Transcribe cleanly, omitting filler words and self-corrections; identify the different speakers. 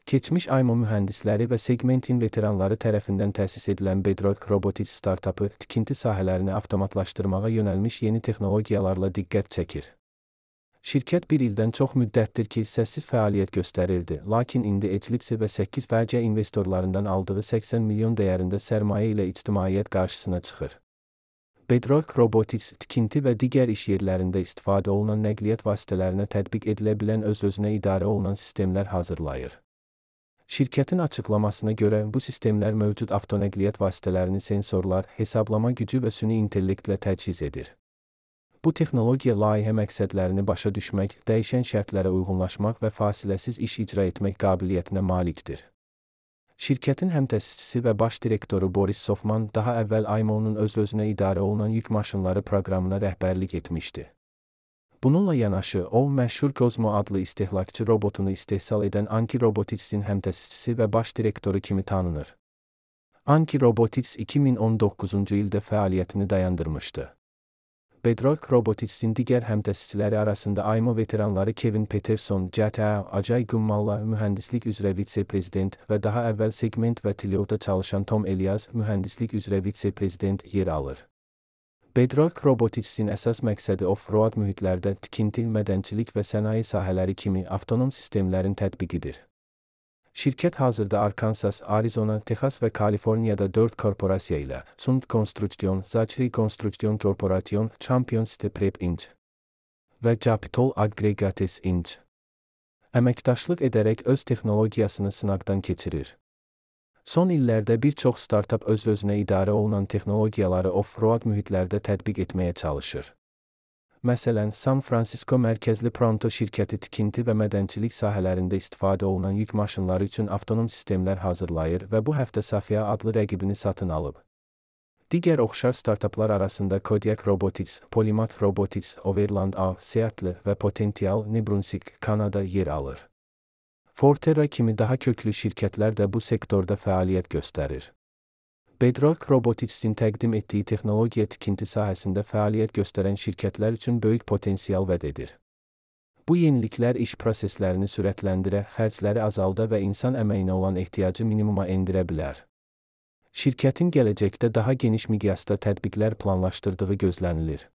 Speaker 1: Keçmiş IMO mühəndisləri və segmentin veteranları tərəfindən təsis edilən Bedrock Robotics startapı tikinti sahələrini avtomatlaşdırmağa yönəlmiş yeni texnologiyalarla diqqət çəkir. Şirkət bir ildən çox müddətdir ki, səssiz fəaliyyət göstərirdi, lakin indi Eclipse və 8 vərcə investorlarından aldığı 80 milyon dəyərində sərmayə ilə ictimaiyyət qarşısına çıxır. Bedrock Robotics tikinti və digər iş yerlərində istifadə olunan nəqliyyat vasitələrinə tətbiq edilə bilən öz-özünə idarə olunan sistemlər hazırlayır. Şirkətin açıqlamasına görə bu sistemlər mövcud avtonəqliyyat vasitələrini sensorlar, hesablama gücü və süni intellektlə təchiz edir. Bu texnologiya layihə məqsədlərini başa düşmək, dəyişən şərtlərə uyğunlaşmaq və fasiləsiz iş icra etmək qabiliyyətinə malikdir. Şirkətin həmtəsisçisi və baş direktoru Boris Sofman daha əvvəl IMO-nun öz-özünə idarə olunan yük maşınları proqramına rəhbərlik etmişdi. Bununla yanaşı, o, məşhur Cosmo adlı istehlakçı robotunu istehsal edən Anki Robotics'in həmtəsisçisi və baş direktoru kimi tanınır. Anki Robotics 2019-cu ildə fəaliyyətini dayandırmışdı. Bedrock Robotics'in digər həmtəsisçiləri arasında IMO veteranları Kevin Peterson, GTA, Ajay Gummalla, mühəndislik üzrə vitse-prezident və daha əvvəl Segment və Tilio'da çalışan Tom Elias, mühəndislik üzrə vitse-prezident yer alır. Bedrock Robotics'in əsas məqsədi off-road mühitlərdə tikinti, mədənçilik və sənaye sahələri kimi avtonom sistemlərin tətbiqidir. Şirkət hazırda Arkansas, Arizona, Texas və Kaliforniyada 4 korporasiya ilə Sund Construction, Zachry Construction Corporation, Champion Prep Inc. və Capitol Aggregates Inc. əməkdaşlıq edərək öz texnologiyasını sınaqdan keçirir. Son illərdə bir çox startap öz-özünə idarə olunan texnologiyaları off-road mühitlərdə tətbiq etməyə çalışır. Məsələn, San Francisco mərkəzli Pronto şirkəti tikinti və mədənçilik sahələrində istifadə olunan yük maşınları üçün avtonom sistemlər hazırlayır və bu həftə Safia adlı rəqibini satın alıb. Digər oxşar startaplar arasında Kodiak Robotics, Polymath Robotics, Overland A, Seattle və Potential, New Brunswick, Kanada yer alır. Forterra kimi daha köklü şirkətlər də bu sektorda fəaliyyət göstərir. Bedrock Robotics'in təqdim etdiyi texnologiya tikinti sahəsində fəaliyyət göstərən şirkətlər üçün böyük potensial vəd edir. Bu yeniliklər iş proseslərini sürətləndirə, xərcləri azalda və insan əməyinə olan ehtiyacı minimuma endirə bilər. Şirkətin gələcəkdə daha geniş miqyasda tətbiqlər planlaşdırdığı gözlənilir.